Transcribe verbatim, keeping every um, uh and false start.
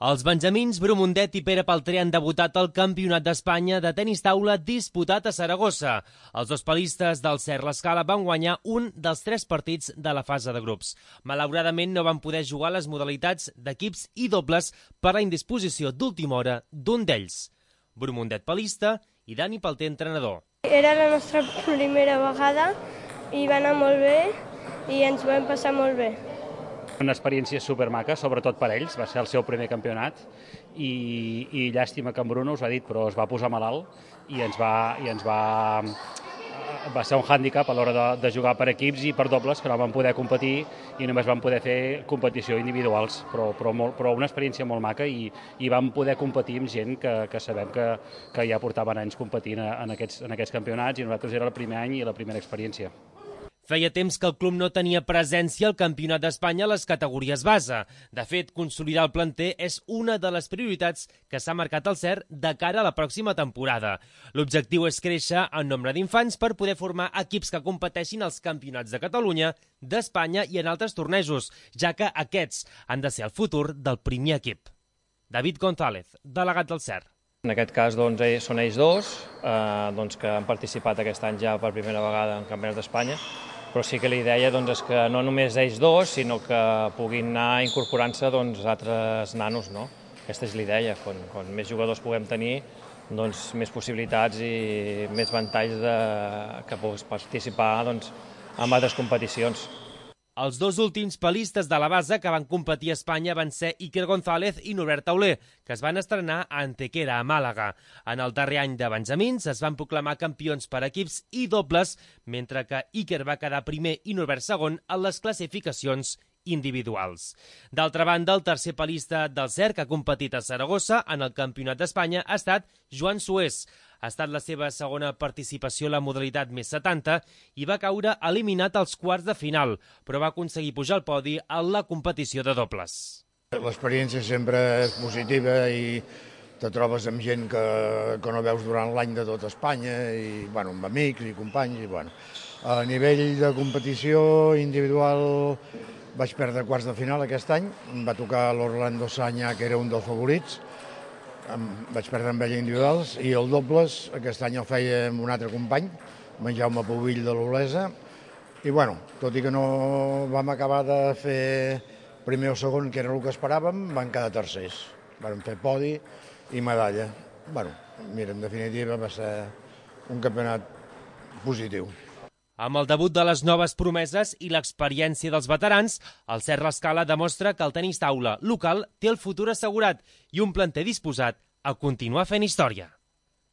Els benjamins Bromundet i Pere Paltrer han debutat al Campionat d'Espanya de tenis taula disputat a Saragossa. Els dos palistes del Cert l'Escala van guanyar un dels tres partits de la fase de grups. Malauradament no van poder jugar les modalitats d'equips i dobles per la indisposició d'última hora d'un d'ells. Bromundet palista i Dani Palter entrenador. Era la nostra primera vegada i va anar molt bé i ens ho vam passar molt bé. Una experiència supermaca, sobretot per ells, va ser el seu primer campionat i, i llàstima que en Bruno us ho ha dit, però es va posar malalt i ens va, i ens va, va ser un hàndicap a l'hora de, de jugar per equips i per dobles, que no van poder competir i només van poder fer competició individuals, però, però, molt, però una experiència molt maca i, i vam poder competir amb gent que, que sabem que, que ja portaven anys competint en aquests, en aquests campionats i nosaltres era el primer any i la primera experiència. Feia temps que el club no tenia presència al Campionat d'Espanya a les categories base. De fet, consolidar el planter és una de les prioritats que s'ha marcat el Cert de cara a la pròxima temporada. L'objectiu és créixer en nombre d'infants per poder formar equips que competeixin als campionats de Catalunya, d'Espanya i en altres tornejos, ja que aquests han de ser el futur del primer equip. David González, delegat del Cert. En aquest cas doncs, són ells dos eh, doncs, que han participat aquest any ja per primera vegada en Campionats d'Espanya, però sí que la idea doncs, és que no només ells dos, sinó que puguin anar incorporant-se doncs, altres nanos. No? Aquesta és la idea, quan, quan més jugadors puguem tenir, doncs, més possibilitats i més ventalls de, que puguis participar doncs, en altres competicions. Els dos últims palistes de la base que van competir a Espanya van ser Iker González i Norbert Tauler, que es van estrenar a Antequera, a Màlaga. En el darrer any de benjamins es van proclamar campions per equips i dobles, mentre que Iker va quedar primer i Norbert segon en les classificacions individuals. D'altra banda, el tercer palista del Cert que ha competit a Saragossa en el Campionat d'Espanya ha estat Joan Sués. Ha estat la seva segona participació a la modalitat més setanta i va caure eliminat als quarts de final, però va aconseguir pujar al podi en la competició de dobles. L'experiència sempre és positiva i te trobes amb gent que, que no veus durant l'any de tot Espanya, i, bueno, amb amics i companys. I, bueno. A nivell de competició individual vaig perdre quarts de final aquest any, em va tocar l'Orlando Sanya, que era un dels favorits, em vaig perdre amb ell individuals, i el dobles aquest any el feia amb un altre company, en Jaume Pubill de l'Olesa, i bueno, tot i que no vam acabar de fer primer o segon, que era el que esperàvem, van quedar tercers. Vam fer podi i medalla. Bueno, mira, en definitiva va ser un campionat positiu. Amb el debut de les noves promeses i l'experiència dels veterans, el Cert l'Escala demostra que el tenis taula local té el futur assegurat i un planter disposat a continuar fent història.